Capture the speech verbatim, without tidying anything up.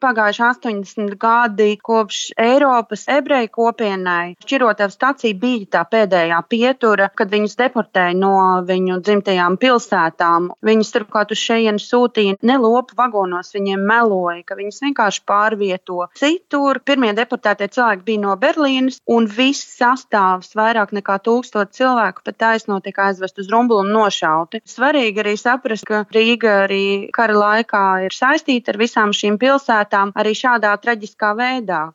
Pagājuši astoņdesmit gadi kopš Eiropas ebreju kopienai. Šķirotava stacija bija tā pēdējā pietura, kad viņus deportēja no viņu dzimtajām pilsētām. Viņus turklāt uz šejienu sūtīja ne lopu vagonos, viņiem meloja, ka viņus vienkārši pārvieto citur. Pirmie deportētie cilvēki bija no Berlīnes, un viss sastāvs, vairāk nekā tūkstot cilvēku, pat taisno tika aizvest uz Rumbulu un nošauti. Svarīgi arī saprast, ka Rīga arī kara laikā ir saistīta ar visām šīm pilsētām, arī šādā traģiskā veidā.